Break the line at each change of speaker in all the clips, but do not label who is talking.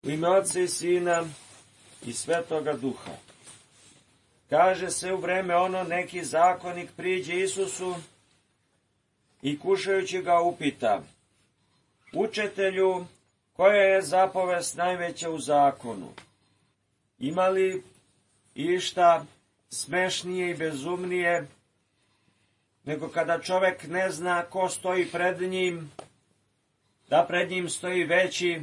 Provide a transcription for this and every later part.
U ime Otca i Sina i Svetoga Duha. Kaže se u vreme ono, neki zakonik priđe Isusu i kušajući ga upita: Učitelju, koja je zapovest najveća u zakonu? Ima li išta smešnije i bezumnije nego kada čovek ne zna ko stoji pred njim, da pred njim stoji veći,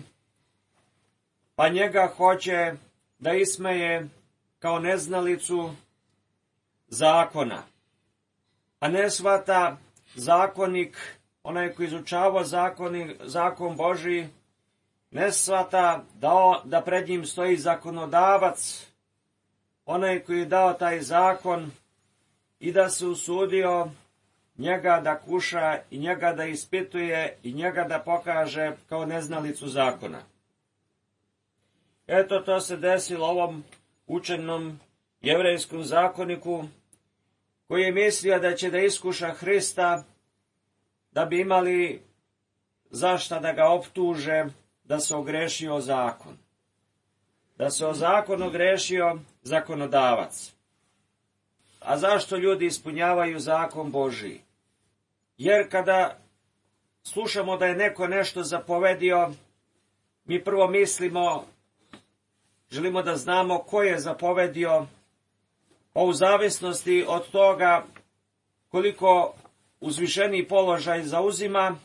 pa njega hoće da ismeje kao neznalicu zakona, a ne shvata zakonik, onaj koji izučava zakon Božiji, ne shvata da pred njim stoji zakonodavac, onaj koji je dao taj zakon i da se usudio njega da kuša i njega da ispituje i njega da pokaže kao neznalicu zakona. Eto, to se desilo ovom učenom jevrejskom zakoniku, koji je mislio da će da iskuša Hrista, da bi imali zašta da ga optuže da se ogrešio o zakon. Da se o zakon ogrešio zakonodavac. A zašto ljudi ispunjavaju zakon Božiji? Jer kada slušamo da je neko nešto zapovedio, mi prvo mislimo, želimo da znamo ko je zapovedio, pa u zavisnosti od toga koliko uzvišeniji položaj zauzima,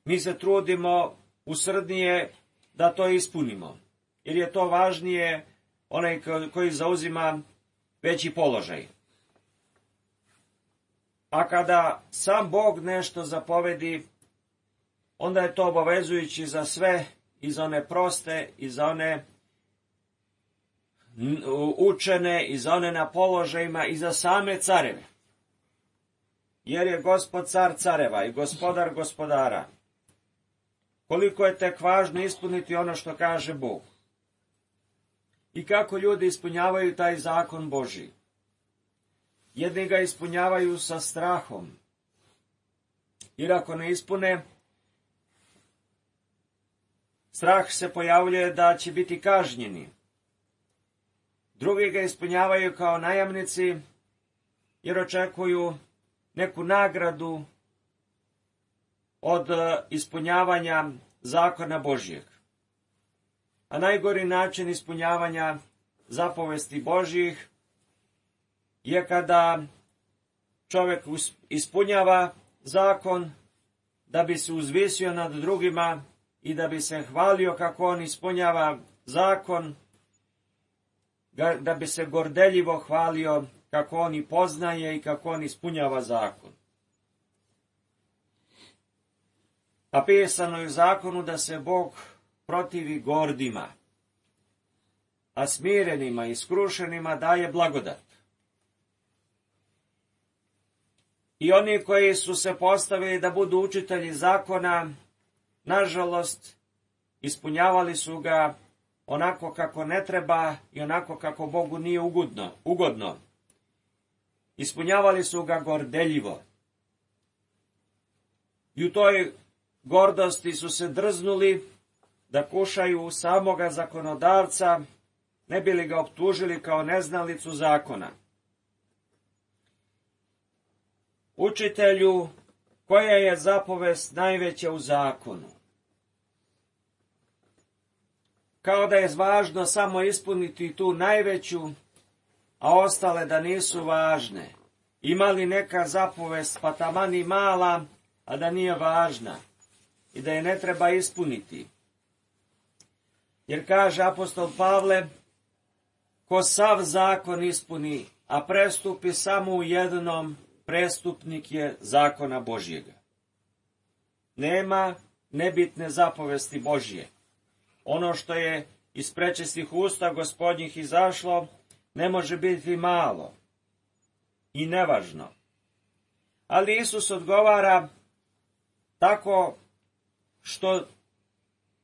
mi se trudimo usrdnije da to ispunimo, jer je to važnije onaj koji zauzima veći položaj. A kada sam Bog nešto zapovedi, onda je to obavezujući za sve, i za one proste, i za one učene, i za one na položajima, i za same careve. Jer je Gospod car careva i gospodar gospodara. Koliko je tek važno ispuniti ono što kaže Bog. I kako ljudi ispunjavaju taj zakon Božji. Jedni ga ispunjavaju sa strahom, jer ako ne ispune, strah se pojavljuje da će biti kažnjeni. Drugi ga ispunjavaju kao najamnici, jer očekuju neku nagradu od ispunjavanja zakona Božjeg. A najgori način ispunjavanja zapovesti Božjih je kada čovjek ispunjava zakon da bi se uzvisio nad drugima i da bi se hvalio kako on ispunjava zakon, da bi se gordeljivo hvalio kako on i poznaje i kako on ispunjava zakon. A pisano je u zakonu da se Bog protivi gordima, a smirenima i skrušenima daje blagodat. I oni koji su se postavili da budu učitelji zakona, nažalost, ispunjavali su ga onako kako ne treba i onako kako Bogu nije ugodno. Ispunjavali su ga gordeljivo. I u toj gordosti su se drznuli da kušaju samoga zakonodavca, ne bi li ga optužili kao neznalicu zakona. Učitelju, koja je zapovest najveća u zakonu? Kao da je važno samo ispuniti tu najveću, a ostale da nisu važne. Ima li neka zapovest, pa taman i mala, a da nije važna i da je ne treba ispuniti? Jer kaže apostol Pavle, ko sav zakon ispuni, a prestupi samo u jednom, prestupnik je zakona Božjega. Nema nebitne zapovesti Božje. Ono što je iz prečistih usta Gospodnjih izašlo, ne može biti malo i nevažno. Ali Isus odgovara tako što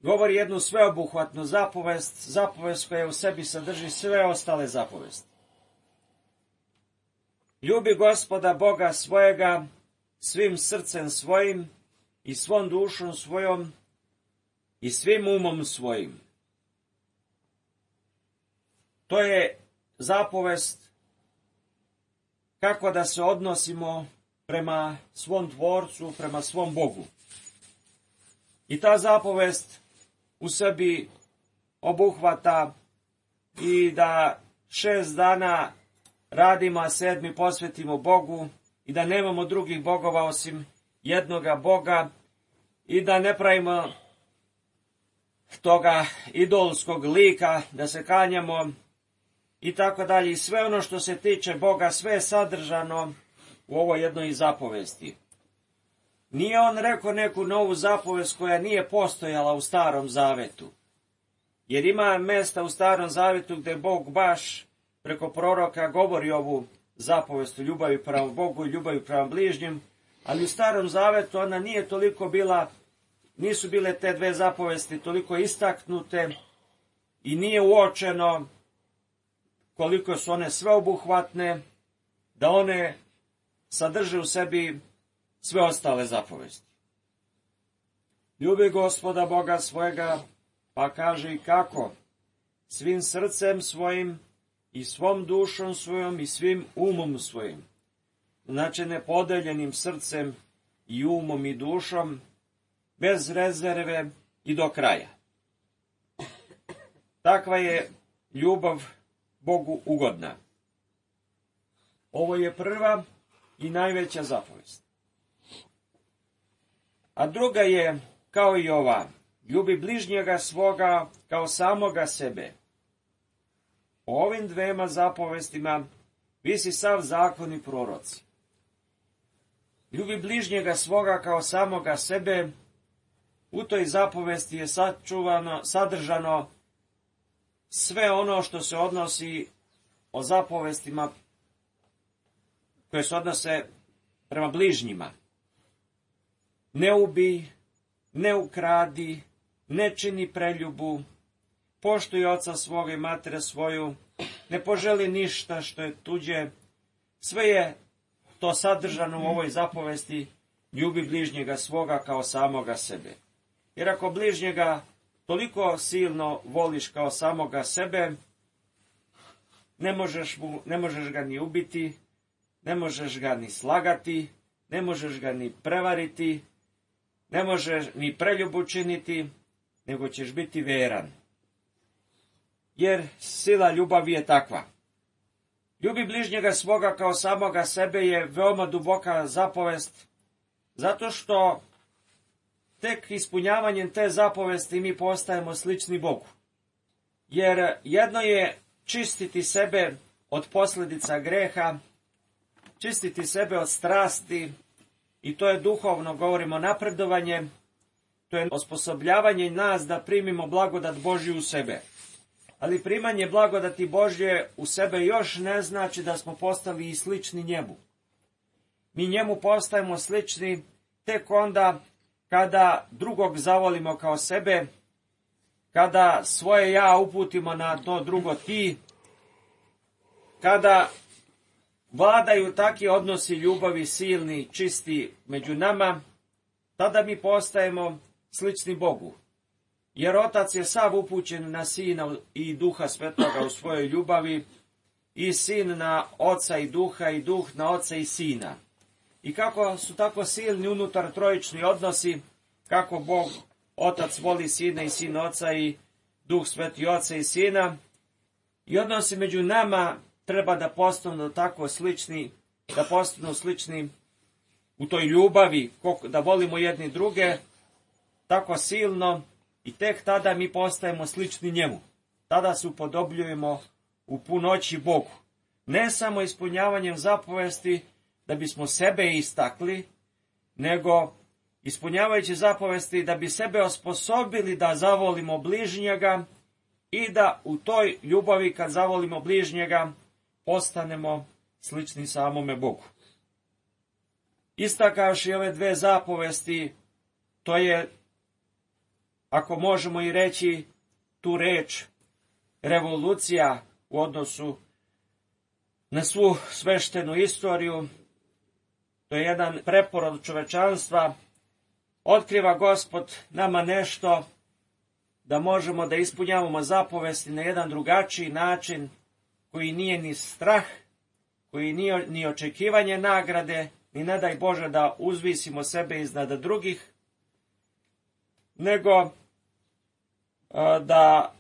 govori jednu sveobuhvatnu zapovest koja u sebi sadrži sve ostale zapovesti. Ljubi Gospoda Boga svojega svim srcem svojim i svom dušom svojom i svim umom svojim. To je zapovest kako da se odnosimo prema svom Tvorcu, prema svom Bogu. I ta zapovest u sebi obuhvata i da 6 dana radimo, a 7. posvetimo Bogu i da nemamo drugih bogova osim jednoga Boga i da ne pravimo toga idolskog lika, da se klanjamo i tako dalje. I sve ono što se tiče Boga, sve je sadržano u ovoj jednoj zapovesti. Nije on rekao neku novu zapovest koja nije postojala u Starom Zavetu. Jer ima mesta u Starom Zavetu gdje Bog baš preko proroka govori ovu zapovest o ljubavi prema Bogu i ljubavi prema bližnjim, ali u Starom Zavetu ona nije toliko bila, nisu bile te dve zapovesti toliko istaknute i nije uočeno koliko su one sveobuhvatne, da one sadrže u sebi sve ostale zapovesti. Ljubi Gospoda Boga svojega, pa kaže i kako, svim srcem svojim i svom dušom svojom i svim umom svojim. Znači nepodeljenim srcem i umom i dušom, bez rezerve i do kraja. Takva je ljubav Bogu ugodna. Ovo je prva i najveća zapovest. A druga je, kao i ova, ljubi bližnjega svoga kao samoga sebe. O ovim dvema zapovestima visi sav zakon i proroci. Ljubi bližnjega svoga kao samoga sebe, u toj zapovesti je sadržano sve ono što se odnosi o zapovestima koje se odnose prema bližnjima. Ne ubij, ne ukradi, ne čini preljubu, poštuj oca svoga i matere svoju, ne poželi ništa što je tuđe. Sve je to sadržano u ovoj zapovesti, ljubi bližnjega svoga kao samoga sebe. Jer ako bližnjega toliko silno voliš kao samoga sebe, ne možeš ga ni ubiti, ne možeš ga ni slagati, ne možeš ga ni prevariti, ne možeš ni preljubu činiti, nego ćeš biti veran. Jer sila ljubavi je takva. Ljubi bližnjega svoga kao samoga sebe je veoma duboka zapovest, zato što tek ispunjavanjem te zapovesti mi postajemo slični Bogu. Jer jedno je čistiti sebe od posljedica greha, čistiti sebe od strasti, i to je duhovno, govorimo, napredovanje, to je osposobljavanje nas da primimo blagodat Božju u sebe. Ali primanje blagodati Božje u sebe još ne znači da smo postali i slični njemu. Mi njemu postajemo slični tek onda kada drugog zavolimo kao sebe, kada svoje ja uputimo na to drugo ti, kada vladaju takvi odnosi ljubavi silni, čisti među nama, tada mi postajemo slični Bogu. Jer Otac je sav upućen na Sina i Duha Svetoga u svojoj ljubavi, i Sin na Oca i Duh na Oca i Sina. I kako su tako silni unutar trojični odnosi, kako Bog Otac voli Sina i Sin Oca i Duh Sveti Oca i Sina, i odnosi među nama treba da postanu tako slični, da postanu slični u toj ljubavi, da volimo jedni druge tako silno, i tek tada mi postajemo slični njemu. Tada se upodobljujemo u punoći Bogu. Ne samo ispunjavanjem zapovesti da bismo sebe istakli, nego ispunjavajući zapovesti da bi sebe osposobili da zavolimo bližnjega i da u toj ljubavi kad zavolimo bližnjega postanemo slični samome Bogu. Istakavši ove dve zapovesti, to je, ako možemo i reći tu reč, revolucija u odnosu na svu sveštenu istoriju. To je jedan preporod čovečanstva. Otkriva Gospod nama nešto da možemo da ispunjavamo zapovesti na jedan drugačiji način, koji nije ni strah, koji nije ni očekivanje nagrade, ni ne daj Bože da uzvisimo sebe iznad drugih, nego da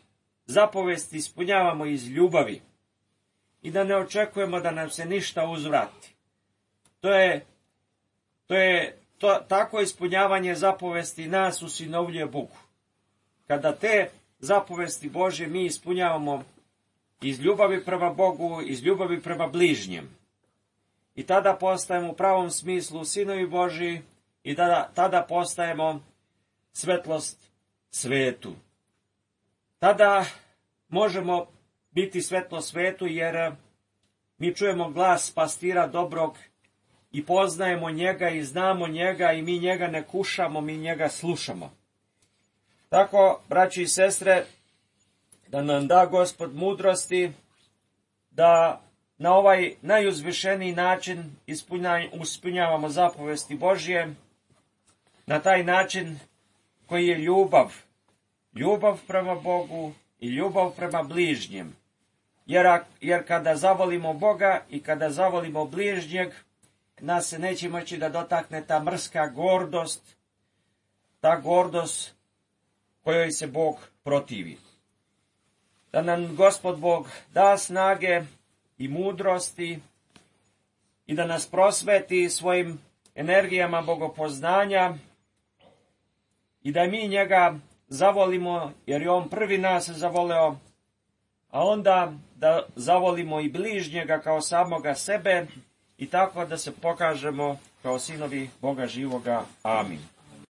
zapovesti ispunjavamo iz ljubavi i da ne očekujemo da nam se ništa uzvrati. Tako ispunjavanje zapovesti nas usinovljuje Bogu. Kada te zapovesti Božje mi ispunjavamo iz ljubavi prema Bogu, iz ljubavi prema bližnjem. I tada postajemo u pravom smislu sinovi Božji i tada postajemo svetlost svetu. Tada možemo biti svetlo svetu jer mi čujemo glas pastira dobrog i poznajemo njega i znamo njega i mi njega ne kušamo, mi njega slušamo. Tako, braći i sestre, da nam da Gospod mudrosti da na ovaj najuzvišeniji način ispunjavamo zapovesti Božje, na taj način koji je ljubav. Ljubav prema Bogu i ljubav prema bližnjem. Jer kada zavolimo Boga i kada zavolimo bližnjeg, nas se neće moći da dotakne ta mrska gordost, ta gordost kojoj se Bog protivi. Da nam Gospod Bog da snage i mudrosti i da nas prosveti svojim energijama bogopoznanja i da mi njega zavolimo, jer je on prvi nas zavoleo, a onda da zavolimo i bližnjega kao samoga sebe i tako da se pokažemo kao sinovi Boga živoga. Amin.